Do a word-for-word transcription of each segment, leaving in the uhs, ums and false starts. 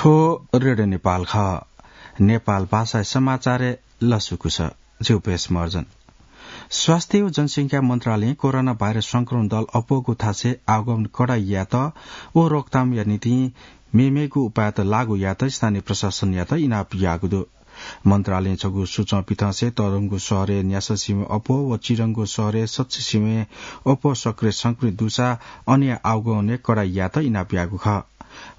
थ्व रेडियो नेपाल खः। नेपाल भाषाय् समाचारय् लसकुस। जिगु पेश मर्जन। स्वास्थ्य व जनसंख्या मन्त्रालयं कोरोना भाइरस संक्रमण दल अप्वःगु थासय् आगमन कडाइ यायेत व रोकथामया निंतिं मेमेगु उपायत लागू यायेत स्थानीय प्रशासनयात इनाप याःगु दु। मन्त्रालयं छगू सूचं पिथंसे तःधंगु शहरय् न्यासः सिबें अप्वः व चिधंगु शहरय् सच्छि सिबें अप्वः सक्रिय संक्रमित दुसा अनया आगमनय् कडाइ यायेत इनाप याःगु खः।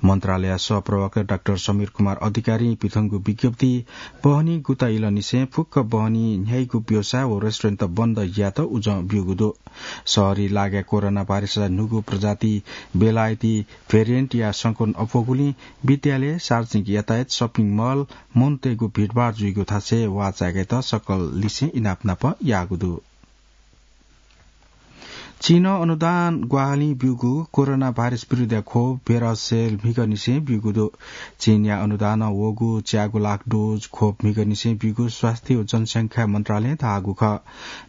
मन्त्रालयया सहप्रवक्ता डाक्टर समीर कुमार अधिकारीं पिथंगु विज्ञप्ति बहनी गुता इलंनिसें फुक्क बहनी न्ह्याइगु व्यवसाय व रेस्टुरेन्ट बन्द यायेत उजं ब्यूगु दु। शहरी लागाय् कोरोना भाइरसया न्हूगु प्रजाति बेलायती भेरिएन्टया संक्रमण अप्वःगुलिं विद्यालय, सार्वजनिक यातायात, सपिङ मल, मनूतय्गु भिडभाड जुइगु थासय् वाःचाय्केत सकल लिसें इनाप नाप याःगु दु। चीनं अनुदान ग्वाहालिं ब्यूगु कोरोना भाइरस विरुद्धया खोप भेरसेल म्हिगःनिसें ब्यूगु दु। चीनया अनुदानं वःगु च्यागू लाख डोज खोप म्हिगःनिसें ब्यूगु स्वास्थ्य व जनसंख्या मन्त्रालयं धाःगु खः।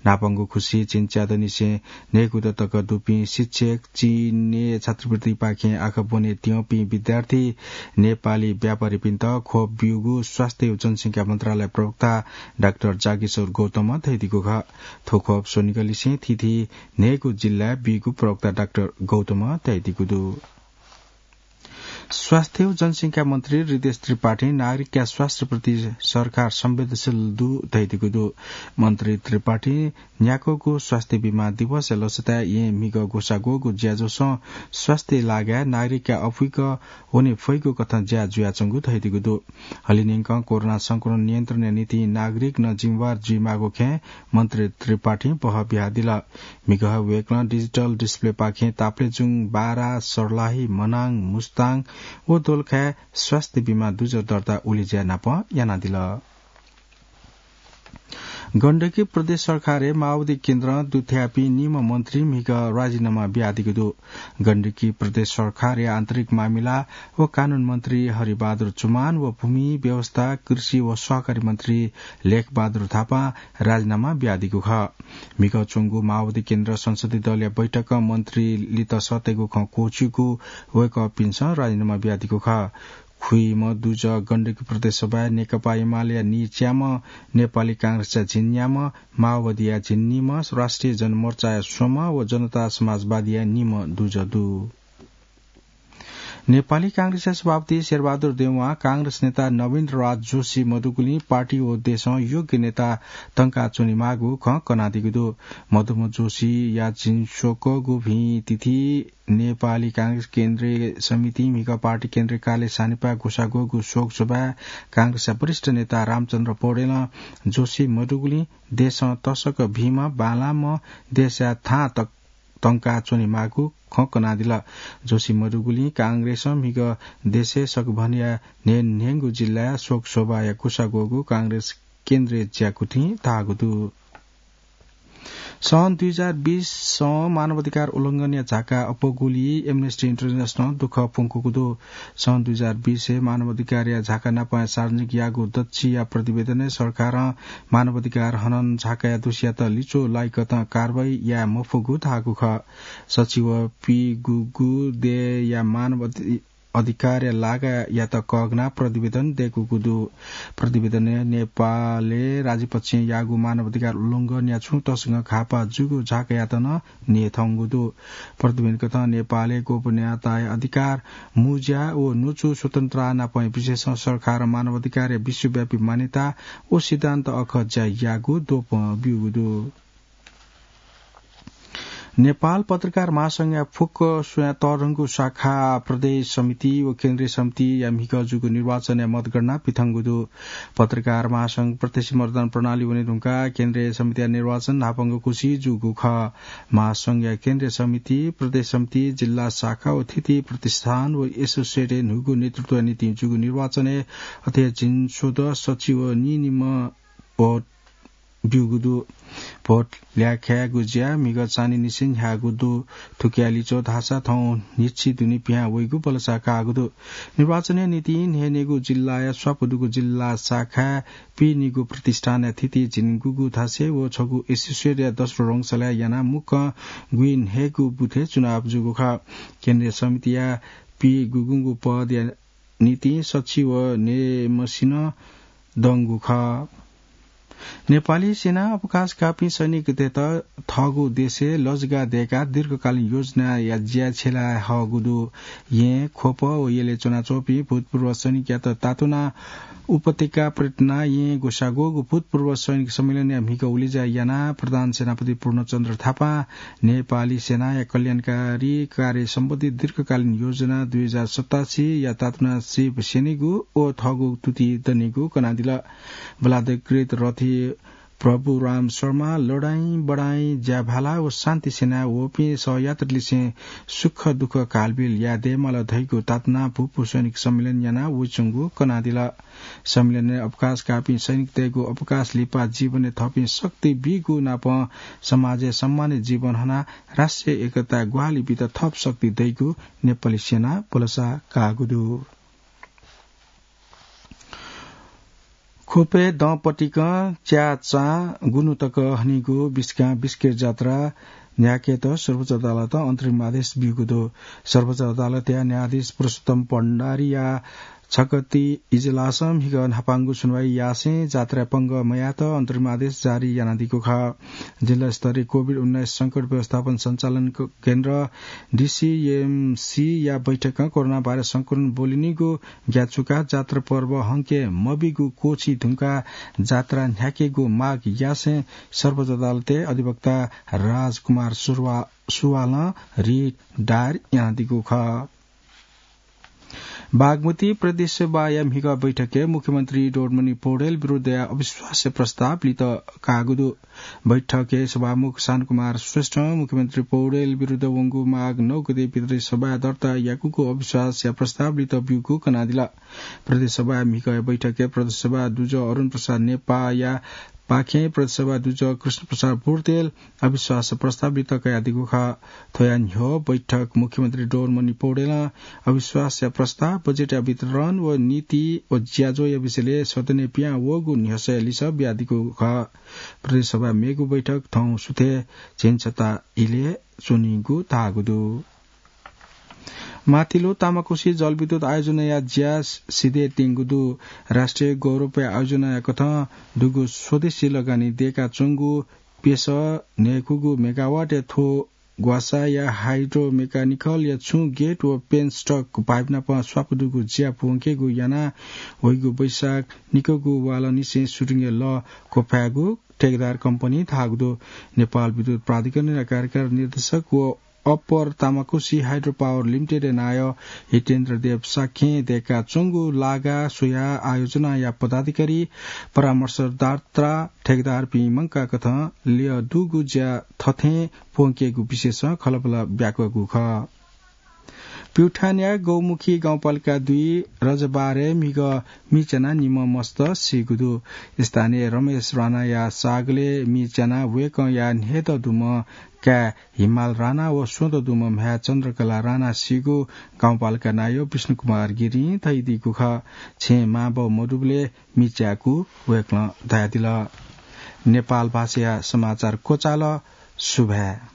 न्हापांगु खुसि चीन च्यादँनिसें न्हय्गू दँ तक दुपिं शिक्षक, चीनय् छात्रवृत्तिपाखें आखः ब्वने त्यंपिं विद्यार्थी, नेपाली व्यापारीपिन्त खोप ब्यूगु स्वास्थ्य व जनसंख्या मन्त्रालय प्रवक्ता डाक्टर जागेश्वर गौतमं धयादीगु खः। थ्व खोप स्वनिगःलिसें थीथी न्हय्गू जिल्लाय् बीगु प्रवक्ता डाक्टर गौतमं धयादीगु दु। स्वास्थ्य व जनसंख्या मन्त्री हृदेश त्रिपाठीं नागरिकया स्वास्थ्यप्रति सरकार संवेदनशील दु धयादीगु दु। मन्त्री त्रिपाठीं न्याक्वःगु स्वास्थ्य बीमा दिवसया लसताय् येँ म्हिगः ग्वसाः ग्वःगु ज्याझ्वलय् स्वास्थ्य लागाय् नागरिकया अपुइक वने फइगु कथं ज्या जुयाच्वंगु धयादीगु दु। हलिंन्यंकं कोरोना संक्रमण नियन्त्रणया निंतिं नागरिकनं जिम्मेवार जुइमाःगु खँय् मन्त्री त्रिपाठीं बहः बियादिल। म्हिगः वय्कलं डिजिटल डिस्प्लेपाखें ताप्लेजुङ, बारा, सर्लाही, मनाङ, मुस्ताङ व दोलखाय् स्वास्थ्य बीमा दुजः दर्ता उलेज्या नाप यानादिल। गण्डकी प्रदेश सरकारय् माओवादी केन्द्रं दुथ्याःपिं निम्ह मन्त्री म्हिगः राजीनामा बियादीगु दु। गण्डकी प्रदेश सरकारया आन्तरिक मामिला व कानून मन्त्री हरिबहादुर चुमान व भूमि, व्यवस्था, कृषि व सहकारी मन्त्री लेखबहादुर थापां राजीनामा बियादीगु खः। म्हिगः च्वंगु माओवादी केन्द्र संसदीय दलया बैठकं मन्त्री लित सःतेगु खँ क्वःछिउकू वय्कःपिन्सं राजीनामा बियादीगु खः। खुइम्ह दुजः गण्डकी प्रदेश सभाय् नेकपा एमालेया नीच्याम्ह, नेपाली कांग्रेसया झिंन्याम्ह, माओवादीया झिंनिम्ह, राष्ट्रिय जनमोर्चाया स्वम्ह व जनता समाजवादीया निम्ह दुजः दु। नेपाली कांग्रेसया सभापति शेरबहादुर देउवां कांग्रेस नेता नवीन्द्र राज जोशी मदुगुलिं पार्टी व देशं योग्य नेता तंकाच्वनेमाःगु खँ कनादीगु दु। मदुम्ह जोशीया झिंस्वकःगु भिं तिथि नेपाली कांग्रेस केन्द्रीय समितिं म्हिगः पार्टी केन्द्रीय कार्यालय सानिपाय् ग्वसाः ग्वःगु शोक सभाय् कांग्रेसया वरिष्ठ नेता रामचन्द्र पौडेलं जोशी मदुगुलिं देशं तसकं भिंम्ह बांलाःम्ह देशया थां तक तंकाच्वनेमाःगु खँ कनादिल। जोशी मदुगुलिं कांग्रेसं म्हिगः देशय् सकभनया न्हय्न्हय्गू जिल्लाय् शोक सभाया ग्वसाः ग्वःगु कांग्रेस केन्द्रीय ज्याकुथिं धाःगु दु। सन् दुई हजार बीसं मानवाधिकार उल्लंघनया झाका अप्वःगुलिइ Amnesty International दुःख प्वंकूगु दु। सन् दुई हजार बीसय् मानवाधिकारया झाका नापं सार्वजनिक याःगु दच्छिया प्रतिवेदनय् सरकारं मानवाधिकार हनन झाकाया दोषीयात लिच्वः लाइकथं कारवाही याये मफुगु धाःगु खः। सचिवं पीगूगू देय्या मानव अधि-, अधिकारया लागायात कःघानाः प्रतिवेदन दय्कूगु दु। प्रतिवेदनय् नेपालय् राजपक्षं याःगु मानवाधिकार उल्लंघनया छुं तसकं घाःपाः जूगु झाकायात नं न्ह्यथंगु दु। प्रतिवेदनकथं नेपालय् गोपनीयताया अधिकार, मुँज्या व न्वचु स्वतन्त्रता नापं विशेषं सरकारं मानवाधिकारया विश्वव्यापी मान्यता व सिद्धान्त अखः ज्या याःगु द्वपं ब्यूगु दु। नेपाल पत्रकार महासंघया फुक्क स्वयां तःधंगु शाखा प्रदेश समिति व केन्द्रीय समितिया म्हिगः जूगु निर्वाचनया मतगणना पिथंगु दु। पत्रकार महासंघ प्रत्यक्ष मतदान प्रणाली वनेधुंकाः केन्द्रीय समितिया निर्वाचन न्हापांगु खुसि जूगु खः। महासंघया केन्द्रीय समिति, प्रदेश समिति, जिल्ला शाखा व थीथी प्रतिष्ठान व एसोसिएटय् न्हूगु नेतृत्वया निंतिं जूगु निर्वाचनय् अथे झिंस्वदँ सच्छि व नीनिम्ह भोट ब्यूगु दु। भोट ल्याखायेगु ज्या म्हिगः चान्हिनिसें न्ह्याःगु दु। थुकिया लिच्वः धाःसा थौं न्हिच्छि दुने पिहां वइगु बलसा काःगु दु। निर्वाचनया निंतिं न्हय्न्हय्गू जिल्लाया स्वापू दुगु जिल्ला शाखाय् पीनिगू प्रतिष्ठानया थीथी झिंगूगू थासय् व छगू एसोसिएटया दसरो रंगशालाय् यानाः मुक्कं गुइन्हय्गू बुथय् चुनाव जूगु खः। केन्द्रीय समितिया पीगूगू पदया निंतिं सच्छि व नेमसिनं दंगु खः। नेपाली सेनां अवकाश काःपिं सैनिकतय्त थःगु देशय् लजगाः दय्काः दीर्घकालीन योजनाया ज्या छ्यला हःगु दु। येँ, ख्वप व यलय् च्वनाच्वंपिं भूतपूर्व सैनिकयात तातुनाः उपत्यका पर्यटनय् येँ ग्वसाः ग्वःगु भूतपूर्व सैनिक सम्मेलनया म्हिगः उलेज्या यानाः प्रधान सेनापति पूर्णचन्द्र थापां नेपाली सेनाया कल्याणकारी कार्य सम्बन्धी दीर्घकालीन योजना दुई हजार सतासी या तातुनाः सीप स्यनीगु व थःगु तुति दनीगु कनादिल। बलाधिकृत रथी प्रभुराम शर्मा लडाइँ बडाइँ ज्याभाला व शान्ति सेनाय् वःपिं सहयात्रीलिसें सुख दुःख कालबिल याये दयेमाल धइगु तातुनाः भूपू सैनिक सम्मेलन यानाः वइच्वंगु कनादिल। सम्मेलनय् अवकाश काःपिं सैनिकतय्गु अवकाश लिपा जीवनय् थःपिं शक्ति बीगु नापं समाजय् सम्मानित जीवन हनाः राष्ट्रिय एकता ग्वाहालि बीत थप शक्ति दइगु नेपाली सेनां भलसा काःगु दु। ख्वपय् दँपतिकं च्याचां गुन्हु तक हनीगु बिस्कां बिस्केट जात्रा न्ह्याकेत सर्वोच्च अदालतं अन्तरिम आदेश ब्यूगु दु। सर्वोच्च अदालतया न्यायाधीश पुरुषोत्तम भण्डारीया छकति इजलासं म्हिगः न्हापांगु सुनुवाइ यासें जात्राय् पंगः मयायेत अन्तरिम आदेश जारी यानादीगु खः। जिल्ला स्तरीय कोभिड उन्नाइस संकट व्यवस्थापन सञ्चालन क-, केन्द्र, डिसिएमसीया बैठकं कोरोना भाइरस संक्रमण ब्वलिनिगु ग्याचुकाः जात्रा पर्व हंके मबीगु क्वःछी धुंकाः जात्रा न्ह्याकेगु माग यासें सर्वोच्च अदालतय् अधिवक्ता राजकुमार सुरवा-, सुवालं रिट दायर यानादीगु खः। बागमती प्रदेश सभाया म्हिगः बैठकय् मुख्यमन्त्री डोमनी पौडेल विरुद्धया अविश्वासया प्रस्ताव लित काःगु दु। बैठकय् सभामुख शान्तकुमार श्रेष्ठं मुख्यमन्त्री पौडेल विरुद्ध वंगु माघ नौ गते प्रदेश सभाय् दर्ता याकूगु अविश्वासया प्रस्ताव लित ब्यूगु कनादिल। प्रदेश सभाया म्हिगः बैठकय् प्रदेश सभा दुजः अरुण प्रसाद नेपाःया पाखें प्रदेश सभा दुजः कृष्ण प्रसाद बुर्तेल अविश्वास प्रस्ताव लित कयादीगु खः। थ्वया न्ह्यः बैठक मुख्यमन्त्री डोमनी पौडेलं अविश्वासया प्रस्ताव, बजेटया वितरण व नीति व ज्याझ्वःया विषयलय् सदनय् पिहां वःगु न्ह्यसःया लिसः बियादीगु खः। प्रदेश सभा मेगु बैठक थौं सुथय् झिंछता इलय् च्वनीगु धाःगु दु। माथिल्लो तामाकोशी जलविद्युत आयोजनाया ज्या सिधयेत्यंगु दु। राष्ट्रिय गौरवया आयोजनाया कथं दुगु स्वदेशी लगानी दय्काच्वंगु प्यसः न्हय्कूगु मेगावाटया थ्व ग्वासाया हाइड्रो मेकानिकलया छुं गेट व पेन्स्टक पाइप नाप स्वापु दुगु ज्या प्वंकेगु यानाः वइगु वैशाख निकःगु वालंनिसें सुरुङया लः क्वफायेगु ठेकेदार कम्पनी धाःगु दु। नेपाल विद्युत प्राधिकरणया कार्यकारी निर्देशक व अप्पर तामाकोशी हाइड्रो पावर लिमिटेडया नायः हितेन्द्र देव शाक्यं दय्काच्वंगु लागा स्वयाः आयोजनाया पदाधिकारी, परामर्शदाता, ठेकेदारपिं मंकाः कथं ल्यः दुगु ज्या थथें प्वंकेगु विषयसं खँल्हाबल्हा ब्याकूगु खः। प्युठानया गौमुखी गाउँपालिका दुई रजबारय् म्हिगः मिच्यानाः निम्ह मस्त सीगु दु। स्थानीय रमेश राणाया सागलय् मिच्यानाः वय्कःया न्हय्दँ दुम्ह काय् हिमाल राणा व स्वदँ दुम्ह म्ह्याय् चन्द्रकला राणा सीगु गाउँपालिका नायः विष्णुकुमार गिरिं धयादीगु खः। छेँय् मांबौ मदुबलय् मिच्याकू वय्कलं धयादिल। नेपाल भाषाया समाचार क्वचाल। सुभाय्।